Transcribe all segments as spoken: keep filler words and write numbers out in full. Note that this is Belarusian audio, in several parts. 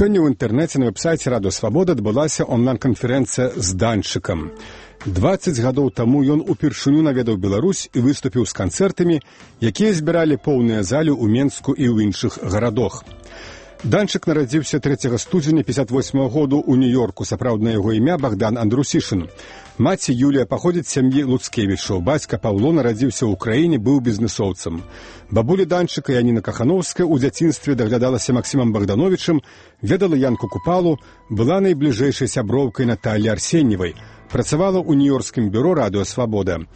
Сёння ў інтэрнэце на вэб-сайце Радыё Свабода адбылася онлайн-канферэнцыя з Данчыкам. дваццаць гадоў таму ён упершыню наведаў Беларусь і выступіў з канцэртамі, якія збіралі поўныя залі ў Менску і ў іншых гарадах. Данчык нарадзіўся трэцяга студзеня пятьдесят восьмага году ў Нью-Йорку. Сапраўднае яго імя Богдан Андрусішын. Маці Юлія паходзіць з сям'і Луцкевічаў. Бацька Паўло нарадзіўся ў краіне, быў бізнэсоўцам. Бабуля Данчыка Яніна Кахановская ў дзяцінстве даглядалася Максімам Богдановичам, ведала Янку Купалу, была найбліжэйшай сяброўкай Наталлі Арсеньевай, працавала ў нью-йоркскім бюро Радыё Свабода.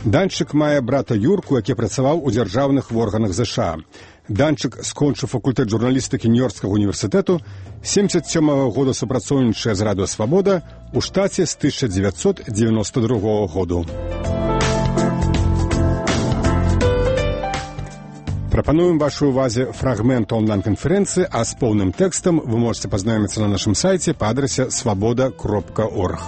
Данчык мае брата Юрку, які працаваў у дзяржаўных органах ЗША. Данчык скончыў факультэт журналістыкі Нью-Йоркскага універсітэту, семьдесят сёмага года супрацоўнічае з Радыё Свабода, у штаце з тысяча дзевяцьсот дзевяносто другога году. Прапануем вашай увазе фрагмент онлайн-канферэнцыі, а з поўным тэкстам вы можете пазнаёміцца на нашым сайце па адрасе свабода кропка орг.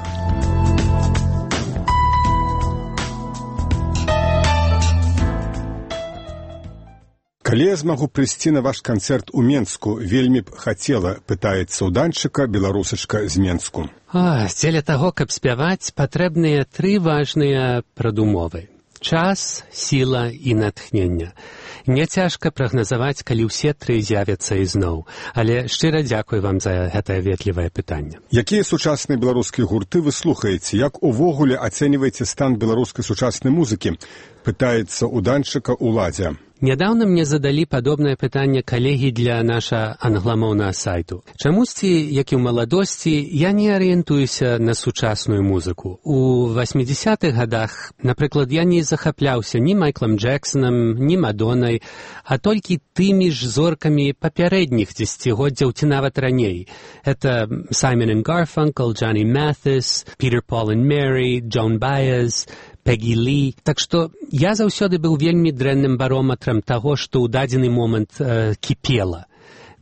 Калі я змагу прыйсці на ваш канцэрт у Менску, вельмі б хацела, пытаецца ў Данчыка беларусачка з Менску. О, дзеля таго, каб спяваць, патрэбныя тры важныя прадумовы. Час, сіла і натхнення. Не цяжка прагназаваць, калі ўсе тры з'явяцца ізноў. Але шчыра дзякуй вам за гэтае ветлівае пытанне. Якія сучасныя беларускія гурты вы слухаеце? Як увогуле ацэньваеце стан беларускай сучаснай музыкі? Пытаецца ў Данчыка Уладзя. Нядаўна мне задалі падобнае пытанне калегі для наша англамоўнага сайту. Чамусьці, як і ў маладосці, я не арыентуюся на сучасную музыку. У восьмідзесятых гадах, напрыклад, я не захапляўся ні Майклам Джексонам, ні Мадоннай, а толькі тымі ж зоркамі папярэдніх дзесяцігоддзяў ці нават раней. Это Саймон энд Гарфанкл, Джонни Маthis, Peter, Paul and Mary, Джон Баез, Пегі Лі. Так што я заўсёды быў вельмі дрэнным барометрам таго, што ў дадзены момант э, кіпела.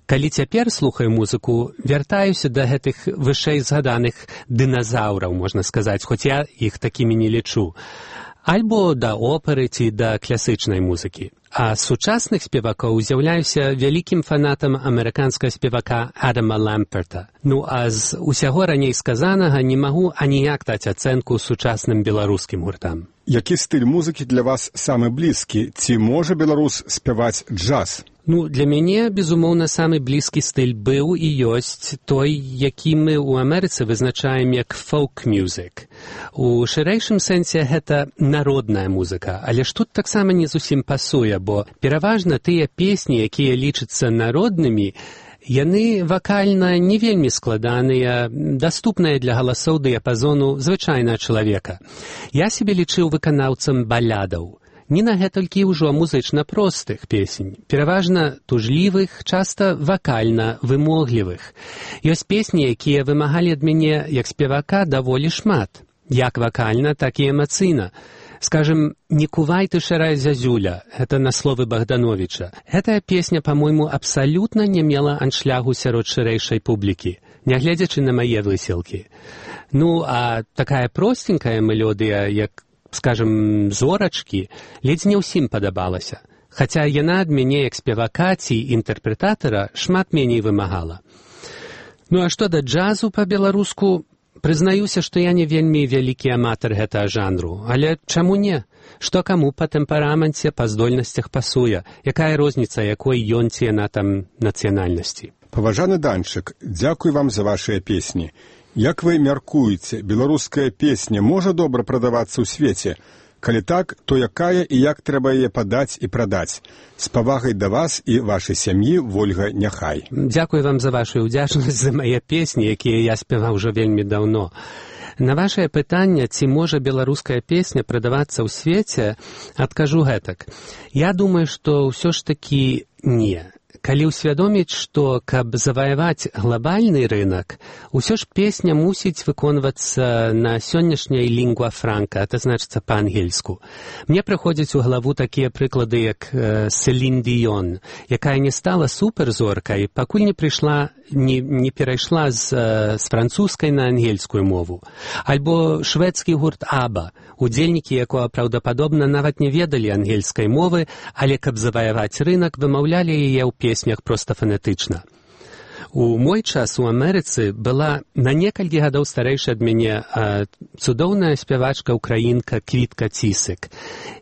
Калі цяпер слухаю музыку, вяртаюся да гэтых вышэй згаданых дыназаўраў, можна сказаць, хоць я іх такімі не лічу. Альбо да оперы ці да класычнай музыкі. А з сучасных спевакоў з'яўляюся вялікім фанатам амерыканскага спевака Адама Ламперта. Ну, а з усяго раней сказанага не магу аніяк даць ацэнку сучасным беларускім гуртам. Які стыль музыкі для вас самы блізкі? Ці можа беларус спяваць джаз? Ну, для мяне, безумоўна, самы блізкі стыль быў і ёсць той, які мы ў Амерыцы вызначаем як фолк-мюзік. У шырэйшым сэнсе гэта народная музыка, але ж тут таксама не зусім пасуе, бо пераважна тыя песні, якія лічацца народнымі, яны вакальна не вельмі складаныя, даступныя для галасоў дыяпазону звычайнага чалавека. Я сябе лічыў выканаўцам балядаў. Не на гэтулькі ўжо музычна простых песень, пераважна тужлівых, часта вакальна вымоглівых. Ёсць песні, якія вымагалі ад мяне як спевака даволі шмат, як вакальна, так і эмацыйна. Скажем, «Не кувай ты, шарая зязюля» — это на словы Богдановича. Гэтая песня, по-мойму, абсалютна не мела аншлягу сярод шырэйшай публікі, нягледзячы на мае высілкі. Ну, а такая простенькая мелодыя, як скажем, зорачкі, ледзь не ўсім падабалася, хаця яна ад мяне як спевака ці інтэрпрэтатара шмат меней вымагала. Ну а што да джазу па-беларуску, прызнаюся, што я не вельмі вялікі аматар гэтага жанру, але чаму не? Што каму па тэмпераменце, па здольнасцях пасуе, якая розніца, якой ён ці яна там нацыянальнасці. Паважаны Данчык, дзякуй вам за вашыя песні. Як вы мяркуеце, беларуская песня можа добра прадавацца ў свеце? Калі так, то якая і як трэба яе падаць і прадаць? З павагай да вас і вашай сям'і, Вольга Няхай. Дзякуй вам за вашу ўдзячнасць за мае песні, якія я спяваў ужо вельмі даўно. На вашае пытанне, ці можа беларуская песня прадавацца ў свеце, адкажу гэтак. Я думаю, што ўсё ж такі не. Калі ўсвядоміць, што, каб заваяваць глобальны рынок, усё ж песня мусіць выконвацца на сённяшняй лінгва франка, это значыцца па-ангельску. Мне прыходзяць у галаву такія прыклады, як э, Селін Діён, якая не стала суперзоркай, пакуль не прыйшла, не, не перайшла з, э, з французскай на ангельскую мову. Альбо шведскі гурт Аба, удзельнікі якога праўдападобна нават не ведалі ангельскай мовы, але каб заваяваць рынок, вымаўлялі яе ў песнях проста фанетычна. У мой час у Амерыцы была на некалькі гадоў старэйшая ад мяне а, цудоўная спявачка украінка Квітка Цісык.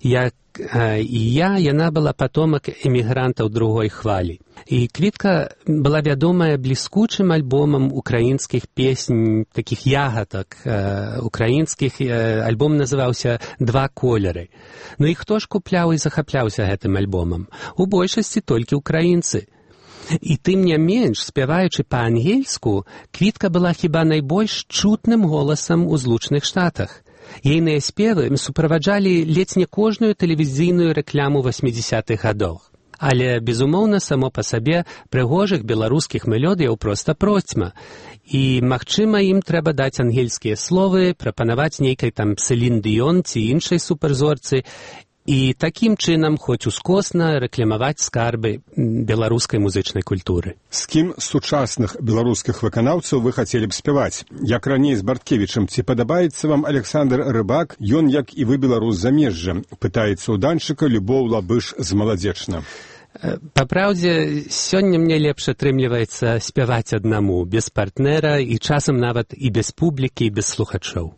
Як а, і я, яна была патомак эмігрантаў другой хвалі. І Квітка была вядомая бліскучым альбомам украінскіх песень, такіх ягадак а, украінскіх. А, альбом называўся «Два колеры». Ну і хто ж купляў і захапляўся гэтым альбомам? У большасці толькі украінцы. І тым не менш, спяваючы па-ангельску, Квітка была хіба найбольш чутным голасам у Злучаных Штатах. Ейныя спевы суправаджалі ледзь не кожную тэлевізійную рэкляму васьмідзесятых гадоў. Але, безумоўна, само па сабе прыгожых беларускіх мелодыяў проста процьма. І, магчыма, ім трэба даць ангельскія словы, прапанаваць нейкай там Селін Дыён ці іншай суперзорцы, і такім чынам хоць ускосна рэкламаваць скарбы беларускай музычнай культуры. З кім з сучасных беларускіх выканаўцаў вы хацелі б спяваць? Як раней з Барткевічам, ці падабаецца вам Александр Рыбак, ён, як і вы, беларус замежжа? Пытаецца ў данчыка Любоў Лабыш з Маладзечна. Па праўдзе, сёння мне лепш атрымліваецца спяваць аднаму, без партнера і часам нават і без публікі, і без слухачоў.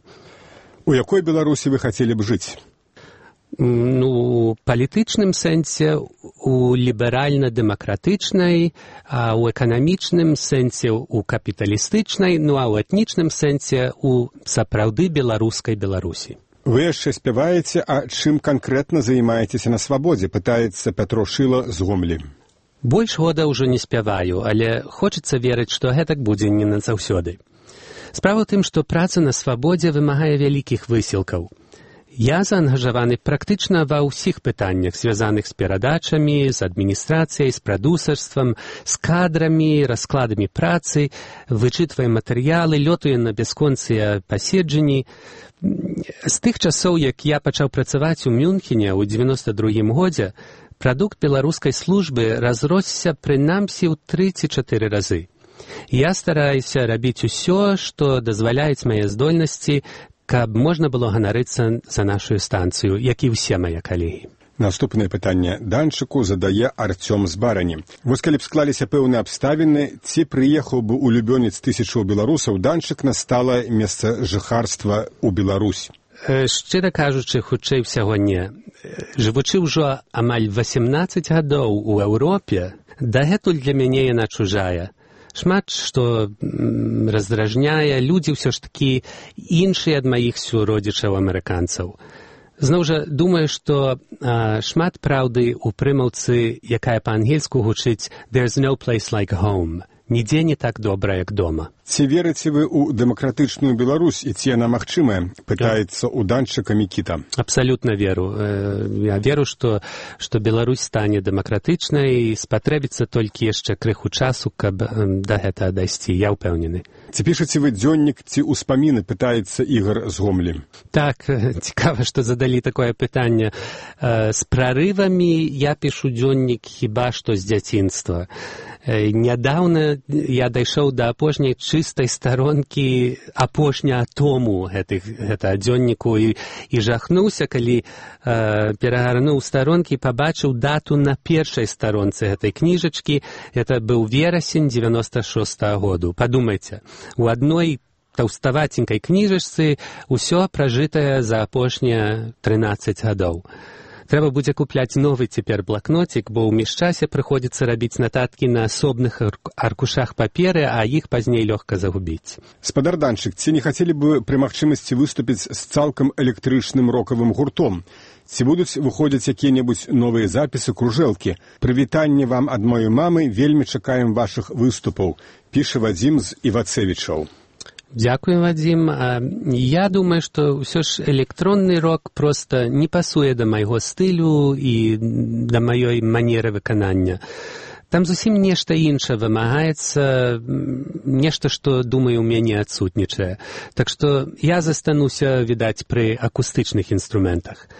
У якой Беларусі вы хацелі б жыць? Ну, у палітычным сэнсе, у ліберальна-дэмакратычнай, а ў эканамічным сэнсе у капіталістычнай, ну а ў этнічным сэнсе у сапраўды беларускай Беларусі. Вы яшчэ спяваеце, а чым канкрэтна займаецеся на свабодзе, пытаецца Пятро Шыла з Гомлі. Больш года ўжо не спяваю, але хочацца верыць, што гэтак будзе не назаўсёды. Справа ў тым, што праца на свабодзе вымагае вялікіх высілкаў. Я заангажаваны практычна ва ўсіх пытаннях, звязаных з перадачамі, з адміністрацыяй, з прадусарствам, з кадрамі, раскладамі працы, вычытваем матэрыялы, лётаю на бясконцыя паседжанні. З тых часоў, як я пачаў працаваць у Мюнхене ў дзевяноста другім годзе, прадукт беларускай службы разросся прынамсі ў тры ці чатыры разы. Я стараюся рабіць усё, што дазваляюць мае здольнасці, каб можна было ганарыцца за нашу станцыю, як і ўсе мае калегі. Наступнае пытанне данчыку задае Арцём з Барані. Вось калі б склаліся пэўныя абставіны, ці прыехаў бы улюбёнец тысячаў беларусаў данчык на сталае месца жыхарства ў Беларусь? Шчыра кажучы, хутчэй усяго не. Жывучы ўжо амаль васемнаццаць гадоў у Еўропе, дагэтуль для мяне яна чужая. Шмат што раздражняе, людзі ўсё ж такі іншыя ад маіх суродзічаў-амерыканцаў. Зноў жа, думаю, што а, шмат праўды ў прымаўцы, якая па-ангельску гучыць «There's no place like home». Нідзе не так добра, як дома. Ці верыце вы ў дэмакратычную Беларусь, і ці яна магчымая? Пытаецца ў данчыка Мікіта. Абсалютна веру. Я веру, што, што Беларусь стане дэмакратычнай, і спатрэбіцца толькі яшчэ крыху часу, каб да гэтага дайсці. Я ўпэўнены. Ці пішаце вы дзённік, ці ўспаміны, пытаецца Ігар з Гомлі? Так, цікава, што задалі такое пытанне. З прарывамі я пішу дзённік хіба што з дзяцінства. Нядаўна я дайшоў да апошняй чыстай старонкі апошняга тому гэтых, гэтага дзённіку і, і жахнуўся, калі э, перагарнуў старонкі, пабачыў дату на першай старонцы гэтай кніжачкі. Гэта быў верасень дзевяноста шостага году. Падумайце, у адной таўставаценькай кніжачцы ўсё пражытае за апошнія трынаццаць гадоў. Трэба будзе купляць новы цяпер блакнотик, бо ў міжчасе прыходзіцца рабіць нататкі на асобных аркушах паперы, а іх пазней лёгка загубіць. Спадар данчык, ці не хацелі бы пры магчымасці выступіць з цалкам электрычным рокавым гуртом? Ці будуць выходзіць якія-небудзь новыя запісы, кружэлкі? Прывітанне вам ад маёй мамы, вельмі чакаем вашых выступаў, піша Вадзім з Івацевічаў. Дзякуй, Вадзім. Я думаю, што ўсё ж электронны рок проста не пасуе да майго стылю і да маёй манеры выканання. Там зусім нешта іншае вымагаецца, нешта, што, думаю, у мяне адсутнічае. Так што я застануся, відаць, пры акустычных інструментах.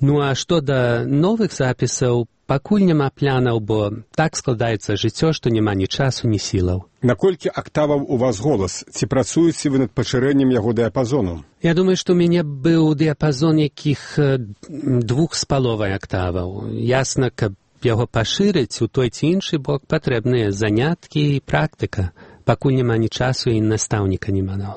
Ну а што да новых запісаў, пакуль няма планаў, бо так складаецца жыццё, што няма ні часу, ні сілаў. Наколькі актаваў у вас голас? Ці працуеце вы над пашырэннем яго дыяпазону? Я думаю, што ў мяне быў дыяпазон якіх двух з паловай актаваў. Ясна, каб яго пашырыць у той ці іншы бок, патрэбныя заняткі і практыка. пакуль няма ні часу і настаўніка няма. No.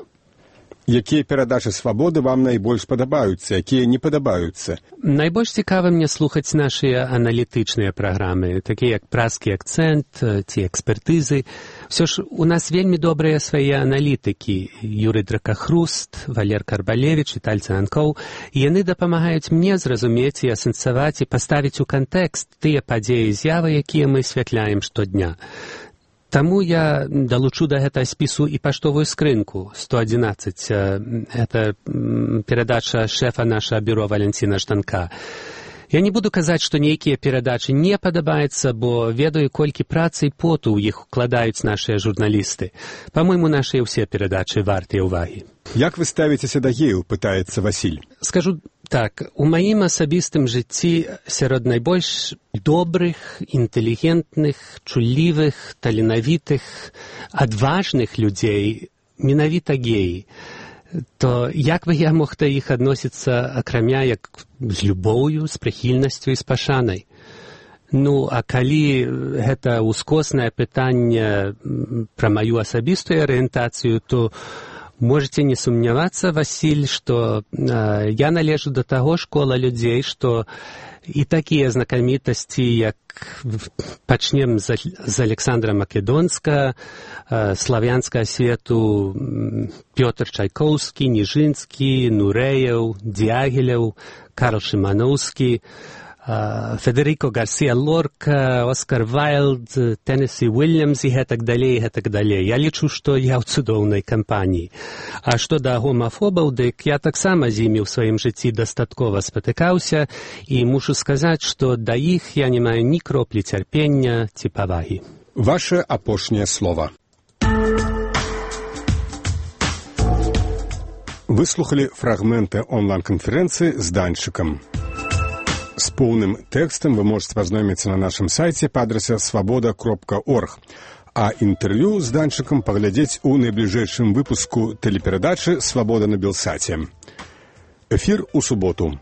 Якія перадачы свабоды вам найбольш падабаюцца, якія не падабаюцца? Найбольш цікава мне слухаць нашыя аналітычныя праграмы, такія як «Празкі акцэнт» ці «Экспертызы». Всё ж у нас вельмі добрыя свае аналітыкі. Юрый Дракахруст, Валер Карбалевіч, Віталь Цанкоў. І яны дапамагаюць мне зразумець і асэнсаваць і паставіць у кантэкст тыя падзеі і з'явы, якія мы асвятляем штодня. Таму я далучу да гэтага спісу і паштовую скрынку сто адзінаццаць. Гэта перадача шэфа нашага бюро Валянціна Жданка. Я не буду казаць, што нейкія перадачы не падабаюцца, бо ведаю, колькі працы і поту ў іх укладаюць нашыя журналісты. Па-мойму, нашыя ўсе перадачы вартыя ўвагі. Як вы ставіцеся да геяў, пытаецца Васіль. Скажу так, у маім асабістым жыцці сярод найбольш добрых, інтэлігентных, чуллівых, таленавітых, адважных людзей менавіта геі. То як бы я мог да іх адносіцца акрамя як з любоўю, з прыхільнасцю і з пашанай? Ну, а калі гэта ўскоснае пытанне пра маю асабістую арыентацыю, то можете не сумнявацца, Васіль, што э, я належу да таго школа людзей, што і такія знакамітасці, як пачнем з, з Александра Македонска, э, славянскага свету Пётр Чайкоўскі, Ніжынскі, Нурэеў, Дягілеў, Карл Шыманоўскі, Uh, Федерико Гарсія Лорка, Оскар Вайлд, Теннесі Уильямс і гэтак далей, гэтак далей. Я лічу, што я ў цудоўнай кампаніі. А што да гомафобаў, дык я таксама з імі ў сваім жыцці дастаткова спатыкаўся і мушу сказаць, што да іх я не маю ні кроплі цярпення ці павагі. Ваше апошняе слова. Выслухалі фрагменты онлайн-канферэнцыі з Данчыкам. З поўным тэкстам вы можете пазнаёміцца на нашым сайце па адрасе свабода кропка орг, а інтэрв'ю з Данчыкам паглядзець у найбліжэйшым выпуску тэлеперадачы «Свабода на Белсаце». Эфір у суботу.